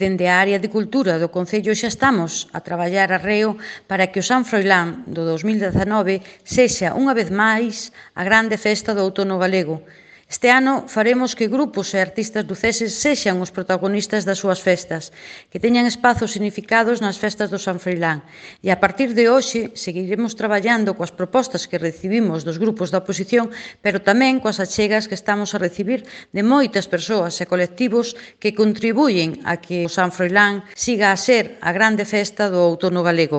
Dende a área de Cultura do Concello xa estamos a traballar arreo para que o San Froilán do 2019 sexa unha vez máis a grande festa do outono galego. Este ano faremos que grupos e artistas luceses sexan os protagonistas das súas festas, que teñan espazos significados nas festas do San Froilán. E a partir de hoxe seguiremos traballando coas propostas que recibimos dos grupos da oposición, pero tamén coas achegas que estamos a recibir de moitas persoas e colectivos que contribuyen a que o San Froilán siga a ser a grande festa do outono galego.